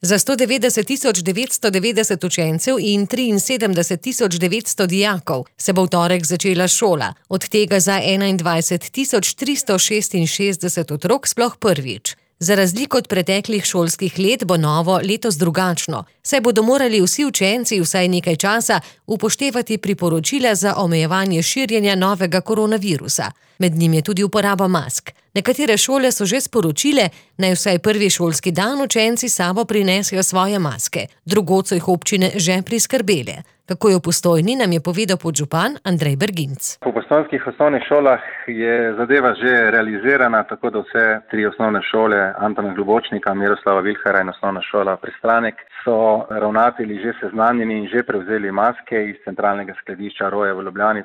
Za 190.990 učencev in 73.900 dijakov se bo v torek začela šola, od tega za 21.366 otrok sploh prvič. Za razliko od preteklih šolskih let bo novo letos drugačno, saj bodo morali vsi učenci vsaj nekaj časa upoštevati priporočila za omejevanje širjenja novega koronavirusa. Med njim je tudi uporaba mask. Nekatere šole so že sporočile, naj vsaj prvi šolski dan učenci s sabo prinesejo svoje maske, drugod so jih občine že priskrbele. Kako je v Postojni, nam je povedal podžupan Andrej Berginc. Po postojnskih osnovnih šolah je zadeva že realizirana, tako da vse tri osnovne šole, Antona Globočnika, Miroslava Vilharja in osnovna šola Pristanek, so ravnatelji že seznanjeni in že prevzeli maske iz centralnega skladišča Roje v Ljubljani.